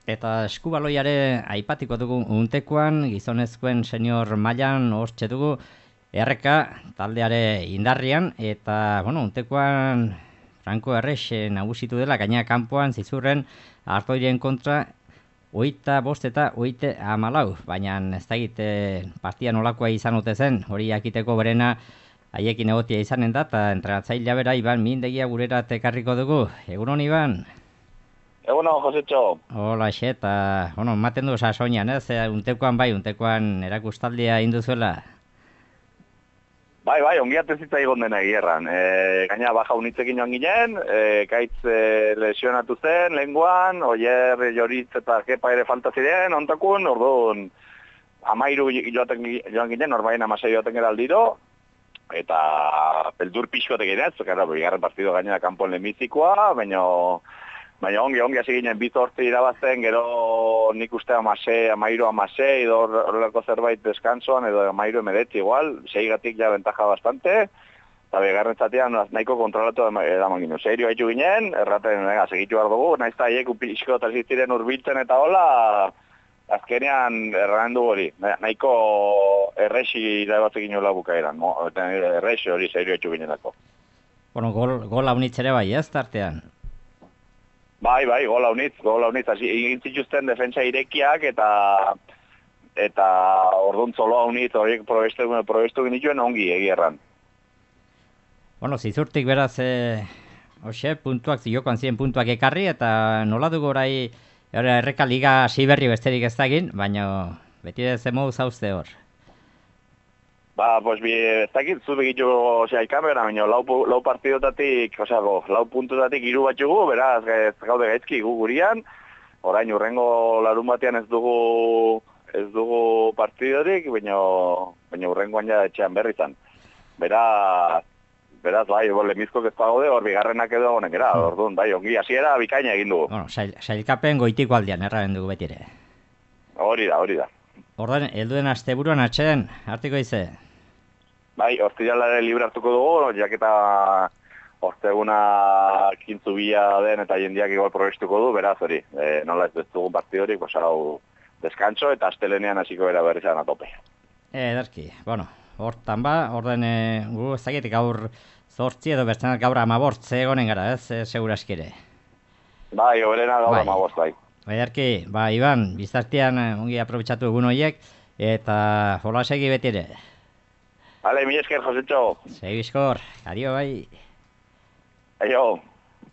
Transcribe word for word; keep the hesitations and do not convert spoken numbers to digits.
Eta eskubaloiare aipatiko dugu untekoan, gizonezkoen senior mailan hortxe dugu, erreka taldeare indarrian, eta, bueno, untekoan Franco Errexe nagusitu dela, gaina kanpoan zizurren Artoiren kontra, oita bost eta oite amalau, baina ez da egite partia nolakoa izan ote zen, hori jakiteko berena haiekin egotia izanen da, eta entrenatzailea bera Iban Mindegia gurera tekarriko dugu. Egunon, Iban? Egunon, Josetxo. Hola, xe, eta, bueno, maten du sasoinan, ez? Untekoan bai, untekoan erakustaldia induzuela. Bai, bai, ongi atezitza egon dena egierran. E, gaina baja unitzekin joan ginen, e, kaitz e, lesionatu zen, lenguan, oier joritz eta kepa ere falta ziren, ontakun, orduan, amairu joaten, joan ginen, norbain amasei joaten gara aldiro, eta peldur pixkotek ginez, gara, bigarren partido gainera kanpon lehenbizikoa, baina... Baina ongi, ongi hasi ginen bizortzi irabazten, gero nik uste amase, amairu amase, edo horrelako zerbait deskansoan, edo amairu emedetzi igual, seigatik ja bentaja bastante, eta begarren zatean nahiko kontrolatu edaman ginen. Serio haitu ginen, erraten, venga, segitu behar dugu, nahiz eta haiek upizko eta ziren urbiltzen eta hola, azkenean erran du hori, nahiko errexi irabatzen ginen hola bukaeran, no? Errexi hori serio haitu ginenako. Bueno, gol, gol haunitzere bai, ez, tartean? Bai, bai, gola unitz, gola unitz, egin zituzten defentsa irekiak eta eta orduan zoloa unitz horiek probestu, probestu genituen ongi egierran. Bueno, zizurtik beraz, e, hoxe, puntuak, ziokoan ziren puntuak ekarri, eta nola dugu orai, erreka liga siberri besterik ez dagin, baina beti ez emo zauzte hor. Ba, pues bi, ez dakit, zu begitu, osea, ikamera, baina lau, lau partidotatik, osea, go, lau puntotatik hiru bat jugu, beraz, ez gaude gaizki gu gurian, orain urrengo larun batean ez dugu, ez dugu partidorik, baina, baina urrengoan ja etxean berri zan. Beraz, beraz, bai, lemizkok ez gaude, hor bigarrenak edo honek era, hmm. Orduan, bai, ongi, hasiera bikaina egin dugu. Bueno, sail, sailkapen goitiko aldean, erraren dugu betire. Hori da, hori da. Ordan, helduen asteburuan atxeden, hartiko ize? Bai, hortzialare libre hartuko dugu, jaketa hortzeguna kintzu bila den eta jendiak igual probestuko du, beraz hori, e, nola ez dugu partidorik, pues hau deskantzo eta astelenean hasiko bera berri zan atope. E, edarki, bueno, hortan ba, orden e, gu ez dakit gaur zortzi edo bertzenak gaur amabortze egonen gara, ez, e, seguraskire. Bai, oberena gaur bai. Amabortz, bai. Edarki, ba, Iban, bizartian ongi aprobetsatu egun horiek, eta hola segi beti ere. Vale, mi esker, Josetxo. Segi bizkor, adio bai. Aio.